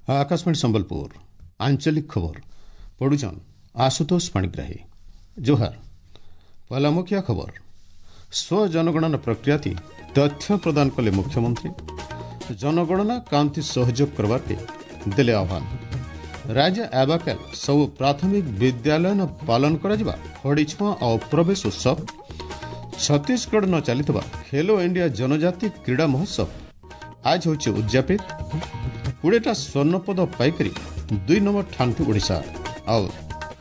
ଆକାଶବାଣୀ ସମ୍ବଲପୁର ଆଞ୍ଚଳିକ ଖବର ପଢୁଛନ୍ ଆଶୁତୋଷ ପାଣିଗ୍ରାହୀ। ଜୁହାର। ପହଲା ମୁଖିଆ ଖବର। ସ୍ୱଜନଗଣନା ପ୍ରକ୍ରିୟାତି ତଥ୍ୟ ପ୍ରଦାନ କଲେ ମୁଖ୍ୟମନ୍ତ୍ରୀ। ଜନଗଣନା କାନ୍ତି ସହଯୋଗ କରବାର୍କେ ଦେଲେ ଆହ୍ୱାନ। ରାଜ୍ୟ ଆବାକାଲ ସବୁ ପ୍ରାଥମିକ ବିଦ୍ୟାଳୟ ପାଳନ କରାଯିବା ଖଡ଼ିଛୁଆଁ ଆଉ ପ୍ରବେଶ ଉତ୍ସବ। ଛତିଶଗଡ଼ ନ ଚାଲିଥିବା ଖେଲୋ ଇଣ୍ଡିଆ ଜନଜାତି କ୍ରୀଡ଼ା ମହୋତ୍ସବ ଆଜ ହେଉଛି ଉଦ୍ଯାପିତ। 20ଟା ସ୍ୱର୍ଣ୍ଣପଦ ପାଇକରି 2 ନମ୍ବର ଠାନ୍ଥି ଓଡ଼ିଶା। ଆଉ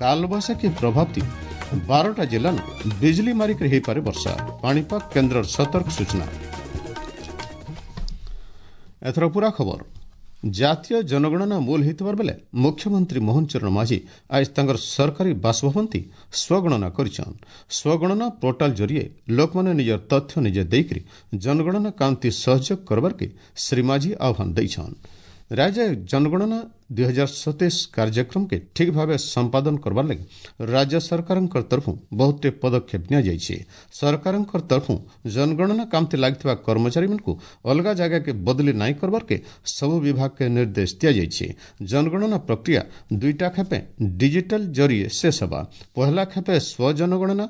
କାଲବୈଶାଖୀ ପ୍ରଭାବତି 12ଟା ଜିଲ୍ଲାନ ବିଜୁଳି ମାରିକରି ହୋଇପାରେ ବର୍ଷା, ପାଣିପାଗ କେନ୍ଦ୍ରର ସତର୍କ ସୂଚନା। ଏଥର ପୁରା ଖବର। ଜାତୀୟ ଜନଗଣନା ମୂଲ ହୋଇଥିବାର ବେଲେ ମୁଖ୍ୟମନ୍ତ୍ରୀ ମୋହନ ଚରଣ ମାଝୀ ଆଜ ତାଙ୍କର ସରକାରୀ ବାସଭବନତି ସ୍ୱଗଣନା କରିଛନ୍। ସ୍ୱଗଣନା ପୋର୍ଟାଲ ଜରିଏ ଲୋକମାନେ ନିଜର ତଥ୍ୟ ନିଜେ ଦେଇକରି ଜନଗଣନା କାନ୍ତି ସହଯୋଗ କରବାର୍କେ ଶ୍ରୀ ମାଝୀ ଆହ୍ୱାନ ଦେଇଛନ୍। ରାଜ୍ୟ ଜନଗଣନା 2027 କାର୍ଯ୍ୟକ୍ରମକେ ଠିକ୍ ଭାବେ ସମ୍ପାଦନ କରବାର ଲାଗି ରାଜ୍ୟ ସରକାରଙ୍କ ତରଫରୁ ବହୁତଟେ ପଦକ୍ଷେପ ନିଆଯାଇଛି। ସରକାରଙ୍କ ତରଫରୁ ଜନଗଣନା କାମଥି ଲାଗିଥିବା କର୍ମଚାରୀମାନଙ୍କୁ ଅଲଗା ଜାଗାକେ ବଦଲି ନାଇଁ କରବାର୍କେ ସବୁ ବିଭାଗକେ ନିର୍ଦ୍ଦେଶ ଦିଆଯାଇଛି। ଜନଗଣନା ପ୍ରକ୍ରିୟା 2ଟା ଖେପେ ଡିଜିଟାଲ ଜରିଏ ଶେଷ ହେବା। ପହଲା ଖେପେ ସ୍ୱଜନଗଣନା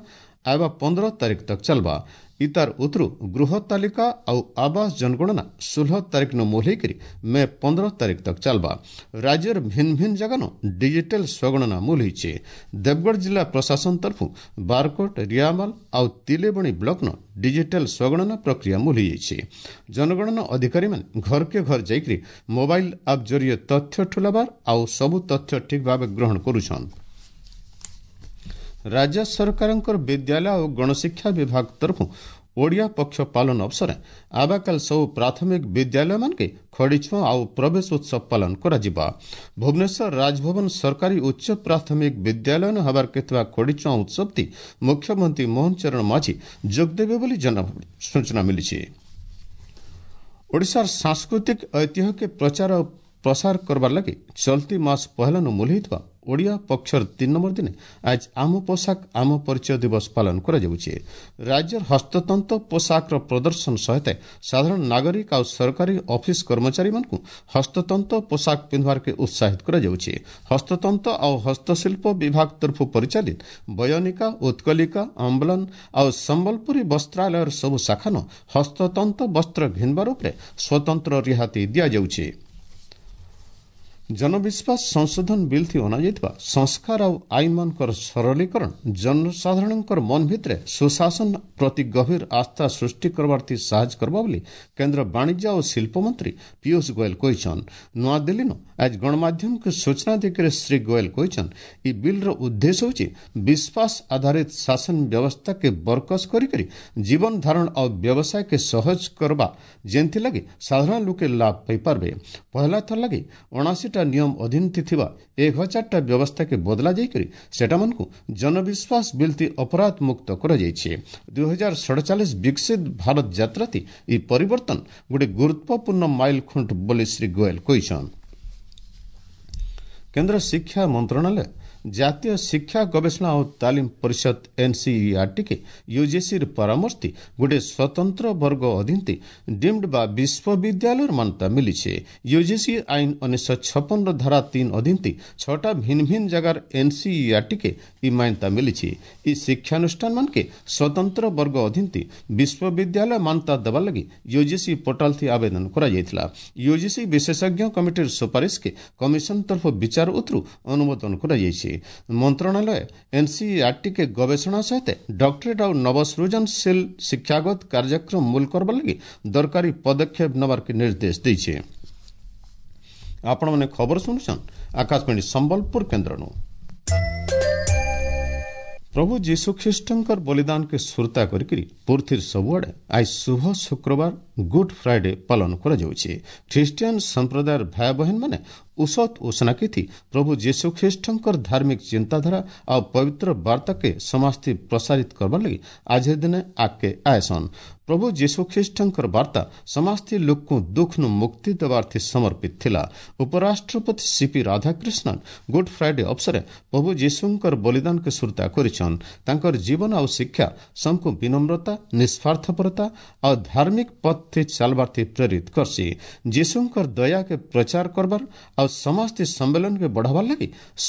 ଆଇବା 15 ତାରିଖ ତକ ଚାଲବା। ଇତାର ଉତରୁ ଗୃହ ତାଲିକା ଆଉ ଆବାସ ଜନଗଣନା 16 ତାରିଖ ନ ମୂଲ ହେଇକରି ମେ 15 ତାରିଖ ତକ ଚାଲବା। ରାଜ୍ୟର ଭିନ୍ନ ଭିନ୍ନ ଜାଗାନ ଡିଜିଟାଲ ସ୍ୱଗଣନା ମୂଲ ହେଇଛେ। ଦେବଗଡ଼ ଜିଲ୍ଲା ପ୍ରଶାସନ ତରଫରୁ ବାରକୋଟ, ରିଆମାଲ ଆଉ ତିଲେବଣୀ ବ୍ଲକନ ଡିଜିଟାଲ ସ୍ୱଗଣନା ପ୍ରକ୍ରିୟା ମୂଲ ହେଇଯାଇଛି। ଜନଗଣନା ଅଧିକାରୀମାନେ ଘରକେ ଘର ଯାଇକରି ମୋବାଇଲ ଆପ୍ ଜରିଏ ତଥ୍ୟ ଠୁଲାବାର ଆଉ ସବୁ ତଥ୍ୟ ଠିକ୍ ଭାବେ ଗ୍ରହଣ କରୁଛନ୍। ରାଜ୍ୟ ସରକାରଙ୍କର ବିଦ୍ୟାଳୟ ଓ ଗଣଶିକ୍ଷା ବିଭାଗ ତରଫରୁ ଓଡ଼ିଆ ପକ୍ଷ ପାଳନ ଅବସରରେ ଆବାକାଲ ସବୁ ପ୍ରାଥମିକ ବିଦ୍ୟାଳୟମାନକେ ଖଡ଼ିଛୁଆଁ ଆଉ ପ୍ରବେଶ ଉତ୍ସବ ପାଳନ କରାଯିବା। ଭୁବନେଶ୍ୱର ରାଜଭବନ ସରକାରୀ ଉଚ୍ଚ ପ୍ରାଥମିକ ବିଦ୍ୟାଳୟ ହେବାର ଥିବା ଖଡ଼ିଛୁଆଁ ଉତ୍ସବଟି ମୁଖ୍ୟମନ୍ତ୍ରୀ ମୋହନ ଚରଣ ମାଝୀ ଯୋଗଦେବେ ବୋଲି ସୂଚନା ମିଳିଛି। ଓଡ଼ିଶାର ସାଂସ୍କୃତିକ ଐତିହ୍ୟକେ ପ୍ରଚାର ଓ ପ୍ରସାର କରବାର ଲାଗି ଚଲତି ମାସ ପହେଲାନୁ ମୂଲ ହୋଇଥିବା ଓଡ଼ିଆ ପକ୍ଷର 3 ନମ୍ବର ଦିନେ ଆଜ ଆମ ପୋଷାକ ଆମ ପରିଚୟ ଦିବସ ପାଳନ କରାଯାଉଛି। ରାଜ୍ୟର ହସ୍ତତନ୍ତ ପୋଷାକର ପ୍ରଦର୍ଶନ ସହିତ ସାଧାରଣ ନାଗରିକ ଆଉ ସରକାରୀ ଅଫିସ କର୍ମଚାରୀମାନଙ୍କୁ ହସ୍ତତନ୍ତ ପୋଷାକ ପିନ୍ଧବାର୍କେ ଉତ୍ସାହିତ କରାଯାଉଛି। ହସ୍ତତନ୍ତ ଆଉ ହସ୍ତଶିଳ୍ପ ବିଭାଗ ତରଫରୁ ପରିଚାଳିତ ବୟନିକା, ଉତ୍କଲିକା, ଅମ୍ବଲନ ଆଉ ସମ୍ବଲପୁରୀ ବସ୍ତ୍ରାଳୟର ସବୁ ଶାଖାନ ହସ୍ତତନ୍ତ ବସ୍ତ୍ର ଘିନବାର ଉପରେ ସ୍ୱତନ୍ତ୍ର ରିହାତି ଦିଆଯାଉଛି। ଜନବିଶ୍ୱାସ ସଂଶୋଧନ ବିଲ୍ ଥି ଅଣାଯାଇଥିବା ସଂସ୍କାର ଆଉ ଆଇନମାନଙ୍କର ସରଳୀକରଣ ଜନସାଧାରଣଙ୍କର ମନ ଭିତରେ ସୁଶାସନ ପ୍ରତି ଗଭୀର ଆସ୍ଥା ସୃଷ୍ଟି କରବାର୍ଥି ସାହାଯ୍ୟ କରବା ବୋଲି କେନ୍ଦ୍ର ବାଣିଜ୍ୟ ଓ ଶିଳ୍ପ ମନ୍ତ୍ରୀ ପୀୟୁଷ ଗୋଏଲ କହିଛନ୍। ନୂଆଦିଲ୍ଲୀନୁ ଆଜ ଗଣମାଧ୍ୟମକୁ ସୂଚନା ଦେଇକରି ଶ୍ରୀ ଗୋଏଲ କହିଛନ୍, ଇ ବିଲ୍ର ଉଦ୍ଦେଶ୍ୟ ହେଉଛି ବିଶ୍ୱାସ ଆଧାରିତ ଶାସନ ବ୍ୟବସ୍ଥାକେ ବରକସ କରିକରି ଜୀବନ ଧାରଣ ଆଉ ବ୍ୟବସାୟକେ ସହଜ କରବା, ଯେନ୍ଥିଲାଗି ସାଧାରଣ ଲୋକେ ଲାଭ ପାଇପାରବେ। ପହଲା ଥର ଲାଗି 79ଟା ନିୟମ ଅଧୀନ ଥିବା 1000ଟା ବ୍ୟବସ୍ଥାକେ ବଦଲା ଯାଇକରି ସେଟାମାନଙ୍କୁ ଜନବିଶ୍ୱାସ ବିଲ୍ତି ଅପରାଧ ମୁକ୍ତ କରାଯାଇଛି। 2047 ବିକଶିତ ଭାରତ ଯାତ୍ରାତି ଏହି ପରିବର୍ତ୍ତନ ଗୋଟେ ଗୁରୁତ୍ୱପୂର୍ଣ୍ଣ ମାଇଲ ଖୁଣ୍ଟ ବୋଲି ଶ୍ରୀ ଗୋଏଲ କହିଛନ୍। କେନ୍ଦ୍ର ଶିକ୍ଷା ମନ୍ତ୍ରଣାଳୟ ଜାତୀୟ ଶିକ୍ଷା ଗବେଷଣା ଓ ତାଲିମ ପରିଷଦ ଏନ୍ସିଇଆର୍ଟିକେ ୟୁଜିସିର ପରାମର୍ଶ ଗୋଟିଏ ସ୍ୱତନ୍ତ୍ର ବର୍ଗ ଅଧୀନ ଡିମ୍ଡ ବା ବିଶ୍ୱବିଦ୍ୟାଳୟର ମାନ୍ୟତା ମିଳିଛି। ୟୁଜିସି ଆଇନ 1956ର ଧାରା 3 ଅଧୀନ 6ଟା ଭିନ୍ନ ଭିନ୍ନ ଜାଗାର ଏନ୍ସିଇଆର୍ଟିକେ ଇ ମାନ୍ୟତା ମିଳିଛି। ଇ ଶିକ୍ଷାନୁଷ୍ଠାନମାନକେ ସ୍ୱତନ୍ତ୍ର ବର୍ଗ ଅଧୀନ ବିଶ୍ୱବିଦ୍ୟାଳୟ ମାନ୍ୟତା ଦେବା ଲାଗି ୟୁଜିସି ପୋର୍ଟାଲ ଥି ଆବେଦନ କରାଯାଇଥିଲା। ୟୁଜିସି ବିଶେଷଜ୍ଞ କମିଟିର ସୁପାରିଶକେ କମିଶନ ତରଫ ବିଚାର ଉତରୁ ଅନୁମୋଦନ କରାଯାଇଛି। ମନ୍ତ୍ରଣାଳୟ ଏନ୍ସିଇଆର୍ଟିକେ ଗବେଷଣା ସହିତ ଡକ୍ଟରେଟ୍ ଆଉ ନବସୃଜନଶୀଳ ଶିକ୍ଷାଗତ କାର୍ଯ୍ୟକ୍ରମ ମୂଲ କରବା ଲାଗି ଦରକାରୀ ପଦକ୍ଷେପ ନେବାର୍କେ ନିର୍ଦ୍ଦେଶ ଦେଇছে। ଆପଣମାନେ ଖବର ଶୁଣୁଛନ୍ ଆକାଶବାଣୀ ସମ୍ବଲପୁର କେନ୍ଦ୍ରନୁ। ପ୍ରଭୁ ଯୀଶୁଖ୍ରୀଷ୍ଟଙ୍କର ବଳିଦାନକେ ସୁରତା କରିକିରି ପୃଥିବୀର ସବୁଆଡ଼େ ଆজ ଶୁଭ ଶୁକ୍ରବାର ଗୁଡ୍ ଫ୍ରାଇଡେ ପାଳନ କରାଯାଉଛି। ଖ୍ରୀଷ୍ଟିଆନ ସମ୍ପ୍ରଦାୟର ଭାଇ ବହେନମାନେ ଉସତ ଉସନାକିଥି ପ୍ରଭୁ ଯୀଶୁଖ୍ରୀଷ୍ଟଙ୍କର ଧାର୍ମିକ ଚିନ୍ତାଧାରା ଆଉ ପବିତ୍ର ବାର୍ତ୍ତାକେ ସମାଜଥି ପ୍ରସାରିତ କରବାର ଲାଗି ଆଜିର ଦିନେ ଆଗକେ ଆଏସନ୍। ପ୍ରଭୁ ଯୀଶୁଖ୍ରୀଷ୍ଟଙ୍କର ବାର୍ତ୍ତା ସମାଜଥି ଲୋକକୁ ଦୁଃଖନୁ ମୁକ୍ତି ଦେବାର୍ଥି ସମର୍ପିତ ଥିଲା। ଉପରାଷ୍ଟ୍ରପତି ସିପି ରାଧାକ୍ରିଷ୍ଣନ ଗୁଡ୍ ଫ୍ରାଇଡେ ଅବସରେ ପ୍ରଭୁ ଯୀଶୁଙ୍କର ବଳିଦାନକେ ସୁରତା କରିଛନ୍। ତାଙ୍କର ଜୀବନ ଆଉ ଶିକ୍ଷା ସମସ୍ତଙ୍କୁ ବିନମ୍ରତା, ନିସ୍ୱାର୍ଥପରତା ଆଉ ଧାର୍ମିକ ପଥ ପଥେ ଚାଲବାର୍ଥି ପ୍ରେରିତ କରସି। ଯୀଶୁଙ୍କର ଦୟାକେ ପ୍ରଚାର କରବାର ଆଉ ସମାଜଥି ସମ୍ମେଳନକେ ବଢ଼ାବାର ଲାଗି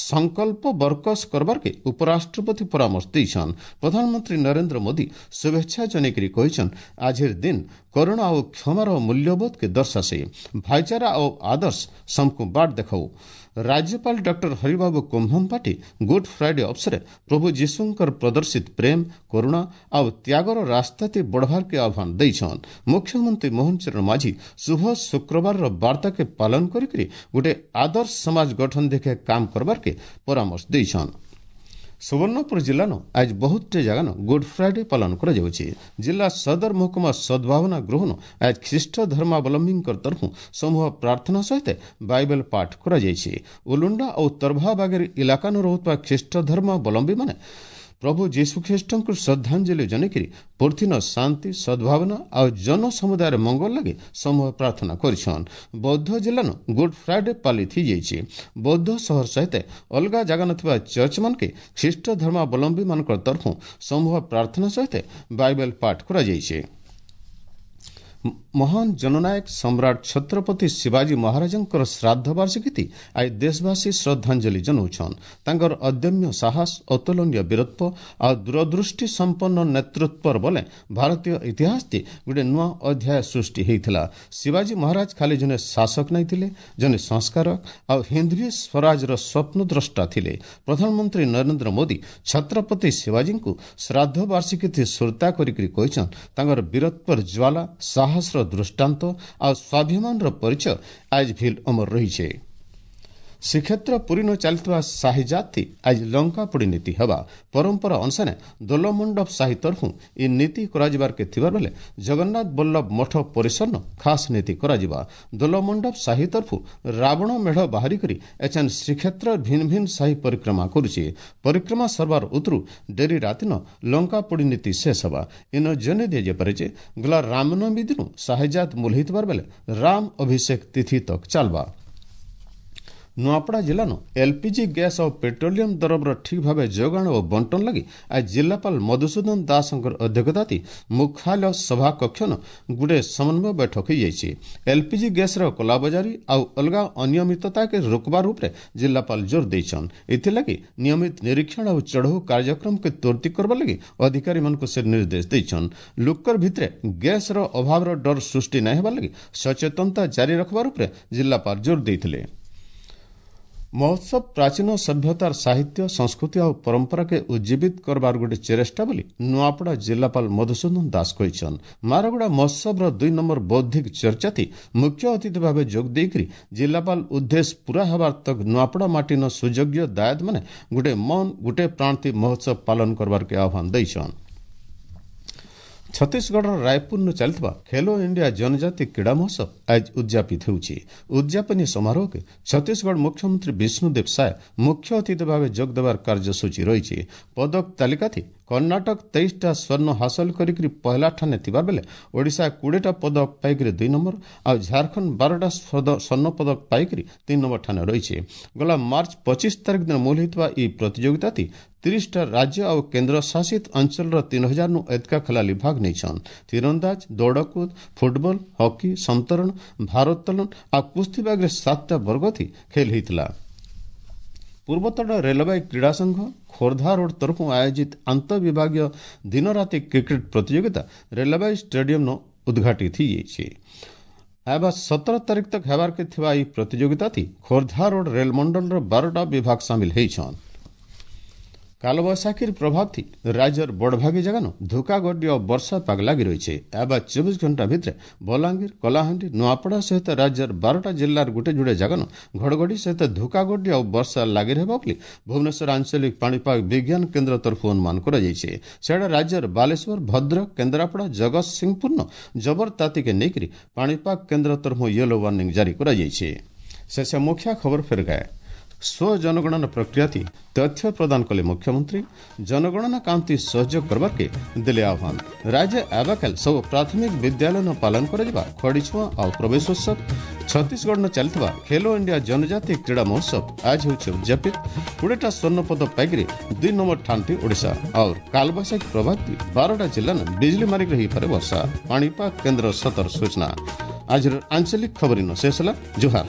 ସଂକଳ୍ପ ବରକସ କରବାର୍କେ ଉପରାଷ୍ଟ୍ରପତି ପରାମର୍ଶ ଦେଇଛନ୍। ପ୍ରଧାନମନ୍ତ୍ରୀ ନରେନ୍ଦ୍ର ମୋଦି ଶୁଭେଚ୍ଛା ଜଣେଇକରି କହିଛନ୍, ଆଜିର ଦିନ କରୁଣା ଓ କ୍ଷମାର ମୂଲ୍ୟବୋଧକେ ଦର୍ଶାସେ। ଭାଇଚାରା ଓ ଆଦର୍ଶ ସମକୁ ବାଟ ଦେଖାଉ। ରାଜ୍ୟପାଳ ଡକ୍ଟର ହରିବାବୁ କୁମ୍ଭମପାଟି ଗୁଡ୍ ଫ୍ରାଇଡେ ଅବସରେ ପ୍ରଭୁ ଯୀଶୁଙ୍କର ପ୍ରଦର୍ଶିତ ପ୍ରେମ, କରୁଣା ଆଉ ତ୍ୟାଗର ରାସ୍ତାତି ବଢ଼ବାର୍କେ ଆହ୍ୱାନ ଦେଇଛନ୍। ମୁଖ୍ୟମନ୍ତ୍ରୀ ମୋହନ ଚରଣ ମାଝୀ ଶୁଭ ଶୁକ୍ରବାରର ବାର୍ତ୍ତାକେ ପାଳନ କରିକରି ଗୋଟେ ଆଦର୍ଶ ସମାଜ ଗଠନ ଦେଖେ କାମ କରବାର୍କେ ପରାମର୍ଶ ଦେଇଛନ୍। ସୁବର୍ଣ୍ଣପୁର ଜିଲ୍ଲାନ ଆଜ ବହୁତଟେ ଜାଗାନ ଗୁଡ୍ ଫ୍ରାଇଡେ ପାଳନ କରାଯାଉଛି। ଜିଲ୍ଲା ସଦର ମହକୁମା ସଦ୍ଭାବନା ଗୃହନ ଆଜ ଖ୍ରୀଷ୍ଟ ଧର୍ମାବଲମ୍ବୀଙ୍କ ତରଫୁ ସମୂହ ପ୍ରାର୍ଥନା ସହିତ ବାଇବେଲ ପାଠ କରାଯାଇଛି। ଉଲୁଣ୍ଡା ଓ ତରଭାବାଗେର ଇଲାକାନୁ ରହୁଥିବା ଖ୍ରୀଷ୍ଟ ଧର୍ମାବଲମ୍ବୀମାନେ ପ୍ରଭୁ ଯୀଶୁଖ୍ରୀଷ୍ଟଙ୍କୁ ଶ୍ରଦ୍ଧାଞ୍ଜଳି ଜଣେଇକରି ପୃଥିନ ଶାନ୍ତି, ସଦ୍ଭାବନା ଆଉ ଜନସମୁଦାୟର ମଙ୍ଗଳ ଲାଗି ସମୂହ ପ୍ରାର୍ଥନା କରିଛନ୍। ବୌଦ୍ଧ ଜିଲ୍ଲାନ ଗୁଡ୍ ଫ୍ରାଇଡେ ପାଳିତ ହେଇଯାଇଛି। ବୌଦ୍ଧ ସହର ସହିତ ଅଲଗା ଜାଗା ନଥିବା ଚର୍ଚ୍ଚମାନକେ ଖ୍ରୀଷ୍ଟ ଧର୍ମାବଲମ୍ବୀମାନଙ୍କ ତରଫୁ ସମୂହ ପ୍ରାର୍ଥନା ସହିତ ବାଇବେଲ ପାଠ କରାଯାଇଛି। ମହାନ ଜନନାୟକ ସମ୍ରାଟ ଛତ୍ରପତି ଶିବାଜୀ ମହାରାଜଙ୍କର ଶ୍ରାଦ୍ଧ ବାର୍ଷିକୀ ଆଜି ଦେଶବାସୀ ଶ୍ରଦ୍ଧାଞ୍ଜଳି ଜଣାଉଛନ୍। ତାଙ୍କର ଅଦମ୍ୟ ସାହସ, ଅତୁଳନୀୟ ବୀରତ୍ୱ ଆଉ ଦୂରଦୃଷ୍ଟି ସମ୍ପନ୍ନ ନେତୃତ୍ୱର ବଲେ ଭାରତୀୟ ଇତିହାସଟି ଗୋଟେ ନୂଆ ଅଧ୍ୟାୟ ସୃଷ୍ଟି ହୋଇଥିଲା। ଶିବାଜୀ ମହାରାଜ ଖାଲି ଜଣେ ଶାସକ ନାଇଁ ଥିଲେ, ଜଣେ ସଂସ୍କାରକ ଆଉ ହିନ୍ଦୀ ସ୍ୱରାଜର ସ୍ୱପ୍ନଦ୍ରଷ୍ଟା ଥିଲେ। ପ୍ରଧାନମନ୍ତ୍ରୀ ନରେନ୍ଦ୍ର ମୋଦି ଛତ୍ରପତି ଶିବାଜୀଙ୍କୁ ଶ୍ରାଦ୍ଧ ବାର୍ଷିକୀ ସୁରତା କରିକି କହିଛନ୍, ତାଙ୍କର ବୀରତ୍ୱର ଜ୍ୱାଲା, ସାହସର ଦୃଷ୍ଟାନ୍ତ ଆଉ ସ୍ୱାଭିମାନର ପରିଚୟ ଆଜ ଭିଲ୍ ଅମର ରହିছে। ଶ୍ରୀକ୍ଷେତ୍ର ପୁରୀନ ଚାଲିଥିବା ସାହି ଜାତି ଆଜି ଲଙ୍କାପୋଡ଼ି ନୀତି ହେବା। ପରମ୍ପରା ଅନୁସାରେ ଦୋଲମଣ୍ଡପ ସାହି ତରଫୁ ଏ ନୀତି କରାଯିବାରକେ ଥିବାର ବେଲେ ଜଗନ୍ନାଥ ବଲ୍ଲଭ ମଠ ପରିସରନ ଖାସ୍ ନୀତି କରାଯିବା। ଦୋଲମଣ୍ଡପ ସାହି ତରଫୁ ରାବଣ ମେଢ଼ ବାହାରି କରି ଏଛେନ୍ ଶ୍ରୀକ୍ଷେତ୍ର ଭିନ୍ନ ଭିନ୍ନ ସାହି ପରିକ୍ରମା କରୁଛି। ପରିକ୍ରମା ସରବାର ଉତରୁ ଡେରି ରାତିନ ଲଙ୍କାପୋଡ଼ି ନୀତି ଶେଷ ହେବା। ଇନ ଜଣେଇ ଦିଆଯାଇପାରେ ଯେ ଗଲା ରାମନବମୀ ଦିନୁ ସାହିଜାତ ମୂଲ ହେଇଥିବାର ବେଲେ ରାମ ଅଭିଷେକ ତିଥି ତକ୍ ଚାଲବା। ନୂଆପଡ଼ା ଜିଲ୍ଲାନ ଏଲ୍ପିଜି ଗ୍ୟାସ୍ ଆଉ ପେଟ୍ରୋଲିୟମ ଦରବର ଠିକ୍ ଭାବେ ଯୋଗାଣ ଓ ବଣ୍ଟନ ଲାଗି ଆଜି ଜିଲ୍ଲାପାଳ ମଧୁସୂଦନ ଦାସଙ୍କର ଅଧ୍ୟକ୍ଷତାତି ମୁଖ୍ୟାଳୟ ସଭାକକ୍ଷନ ଗୁଟେ ସମନ୍ୱୟ ବୈଠକ ହୋଇଯାଇଛି। ଏଲ୍ପିଜି ଗ୍ୟାସ୍ର କଲାବଜାରୀ ଆଉ ଅଲଗା ଅନିୟମିତତାକେ ରୋକବାର ଉପରେ ଜିଲ୍ଲାପାଳ ଜୋର ଦେଇଛନ୍। ଏଥିଲାଗି ନିୟମିତ ନିରୀକ୍ଷଣ ଆଉ ଚଢ଼ଉ କାର୍ଯ୍ୟକ୍ରମକେ ତ୍ୱରିତ କରବାର ଲାଗି ଅଧିକାରୀମାନଙ୍କୁ ସେ ନିର୍ଦ୍ଦେଶ ଦେଇଛନ୍। ଲୋକର ଭିତରେ ଗ୍ୟାସ୍ର ଅଭାବର ଡର ସୃଷ୍ଟି ନାଇଁ ହେବାର ଲାଗି ସଚେତନତା ଜାରି ରଖବାର ଉପରେ ଜିଲ୍ଲାପାଳ ଜୋର ଦେଇଥିଲେ। ମହୋତ୍ସବ ପ୍ରାଚୀନ ସଭ୍ୟତାର ସାହିତ୍ୟ, ସଂସ୍କୃତି ଆଉ ପରମ୍ପରାକେ ଉଜ୍ଜୀବିତ କରବାର ଗୋଟେ ଚେଷ୍ଟା ବୋଲି ନୂଆପଡ଼ା ଜିଲ୍ଲାପାଳ ମଧୁସୂଦନ ଦାସ କହିଛନ୍। ମାରଗୁଡ଼ା ମହୋତ୍ସବର 2 ନମ୍ବର ବୌଦ୍ଧିକ ଚର୍ଚ୍ଚାତି ମୁଖ୍ୟ ଅତିଥି ଭାବେ ଯୋଗ ଦେଇକରି ଜିଲ୍ଲାପାଳ ଉଦ୍ଦେଶ୍ୟ ପୂରା ହେବାର ତକ୍ ନୂଆପଡ଼ା ମାଟିନ ସୁଯୋଗ୍ୟ ଦାୟଦମାନେ ଗୋଟେ ମନ ଗୋଟେ ପ୍ରାଣତି ମହୋତ୍ସବ ପାଳନ କରବାରକେ ଆହ୍ୱାନ ଦେଇଛନ୍। ଛତିଶଗଡ଼ର ରାୟପୁରରୁ ଚାଲିଥିବା ଖେଲୋ ଇଣ୍ଡିଆ ଜନଜାତି କ୍ରୀଡ଼ା ମହୋତ୍ସବ ଆଜି ଉଦ୍ଯାପିତ ହେଉଛି। ଉଦ୍ଯାପନୀ ସମାରୋହକେ ଛତିଶଗଡ଼ ମୁଖ୍ୟମନ୍ତ୍ରୀ ବିଷ୍ଣୁଦେବ ସାଏ ମୁଖ୍ୟ ଅତିଥି ଭାବେ ଯୋଗ ଦେବାର କାର୍ଯ୍ୟସୂଚୀ ରହିଛି। ପଦକ ତାଲିକାଥି କର୍ଣ୍ଣାଟକ 23ଟା ସ୍ୱର୍ଣ୍ଣ ହାସଲ କରିକି ପହଲା ଠାନେ ଥିବା ବେଲେ ଓଡ଼ିଶା 20ଟା ପଦକ ପାଇକରି 2 ନମ୍ବର ଆଉ ଝାଡ଼ଖଣ୍ଡ 12ଟା ସ୍ୱର୍ଣ୍ଣ ପଦକ ପାଇକରି 3 ନମ୍ବର ଠାନେ ରହିଛି। ଗଲା ମାର୍ଚ୍ଚ 25 ତାରିଖ ଦିନ ମୂଲ ହୋଇଥିବା ଏହି ପ୍ରତିଯୋଗିତାତି 30ଟା ରାଜ୍ୟ ଆଉ କେନ୍ଦ୍ରଶାସିତ ଅଞ୍ଚଳର 3000ନୁ ଏତକା ଖେଳାଳି ଭାଗ ନେଇଛନ୍। ତୀରନ୍ଦାଜ, ଦୌଡ଼କୁଦ, ଫୁଟବଲ, ହକି, ସନ୍ତରଣ, ଭାରୋତ୍ତୋଳନ ଆଉ କୁସ୍ତି ବାଗରେ 7ଟା ବର୍ଗଥି ଖେଲ ହୋଇଥିଲା। ପୂର୍ବତଟ ରେଳବାଇ କ୍ରୀଡ଼ା ସଂଘ ଖୋର୍ଦ୍ଧା ରୋଡ୍ ତରଫରୁ ଆୟୋଜିତ ଆନ୍ତଃବିଭାଗୀୟ ଦିନରାତି କ୍ରିକେଟ ପ୍ରତିଯୋଗିତା ରେଳବାଇ ଷ୍ଟାଡିୟମ୍ନ ଉଦ୍ଘାଟିତ ହୋଇଯାଇଛି। ହେବା 17 ତାରିଖ ତକ୍ ହେବାର୍କେ ଥିବା ଏହି ପ୍ରତିଯୋଗିତାତି ଖୋର୍ଦ୍ଧା ରୋଡ୍ ରେଳମଣ୍ଡଳର 12ଟା ବିଭାଗ ସାମିଲ ହେଇଛନ୍। କାଲବୈଶାଖୀର ପ୍ରଭାବ ଥି ରାଜ୍ୟର ବଡ଼ଭାଗୀ ଜାଗାନୁ ଧୁକାଗଡି ଓ ବର୍ଷା ପାଗ ଲାଗି ରହିছে। ଏବା 24 ଘଣ୍ଟା ଭିତରେ ବଲାଙ୍ଗୀର, କଳାହାଣ୍ଡି, ନୂଆପଡ଼ା ସହିତ ରାଜ୍ୟର 12ଟା ଜିଲ୍ଲାର ଗୋଟେ ଯୋଡ଼େ ଜାଗାନୁ ଘଡ଼ଘଡ଼ି ସହିତ ଧୁକାଗଡି ଆଉ ବର୍ଷା ଲାଗି ରହିବ ବୋଲି ଭୁବନେଶ୍ୱର ଆଞ୍ଚଳିକ ପାଣିପାଗ ବିଜ୍ଞାନ କେନ୍ଦ୍ର ତରଫରୁ ଅନୁମାନ କରାଯାଇଛି। ସେଟା ରାଜ୍ୟର ବାଲେଶ୍ୱର, ଭଦ୍ରକ, କେନ୍ଦ୍ରାପଡ଼ା, ଜଗତସିଂହପୁରନ ଜବର ତାତିକେ ନେଇକରି ପାଣିପାଗ କେନ୍ଦ୍ର ତରଫରୁ ୟେଲୋ ୱାର୍ଣ୍ଣିଂ ଜାରି କରାଯାଇଛି। ଶେଷ ମୁଖ୍ୟ ଖବର ଫେର ଗାଏ। ସ୍ୱଜନଗଣନା ପ୍ରକ୍ରିୟାତି ତଥ୍ୟ ପ୍ରଦାନ କଲେ ମୁଖ୍ୟମନ୍ତ୍ରୀ। ଜନଗଣନା କାମତି ସହଯୋଗ କରବାର୍କେ ଦେଲେ ଆହ୍ୱାନ। ରାଜ୍ୟ ଆବାକାଲ ସବୁ ପ୍ରାଥମିକ ବିଦ୍ୟାଳୟ ପାଳନ କରାଯିବା ଖଡ଼ିଛୁଆଁ ଆଉ ପ୍ରବେଶୋତ୍ସବ। ଛତିଶଗଡ଼ନ ଚାଲିଥିବା ଖେଲୋ ଇଣ୍ଡିଆ ଜନଜାତି କ୍ରୀଡ଼ା ମହୋତ୍ସବ ଆଜ ହେଉଛି ଉଦଯାପିତ। 20ଟା ସ୍ୱର୍ଣ୍ଣ ପଦକ ପାଇକରି 2 ନମ୍ବର ଠାନ୍ତି ଓଡ଼ିଶା। ଆଉ କାଲବୈଶାଖୀ ପ୍ରଭାବ 12ଟା ଜିଲ୍ଲାନ ବିଜୁଳି ମାରିକରି ହୋଇପାରେ ବର୍ଷା, ପାଣିପାଗ କେନ୍ଦ୍ର ସତର୍କ ସୂଚନା। ଆଜିର ଆଞ୍ଚଳିକ ଖବର ଶେଷ ହେଲା। ଜୁହାର।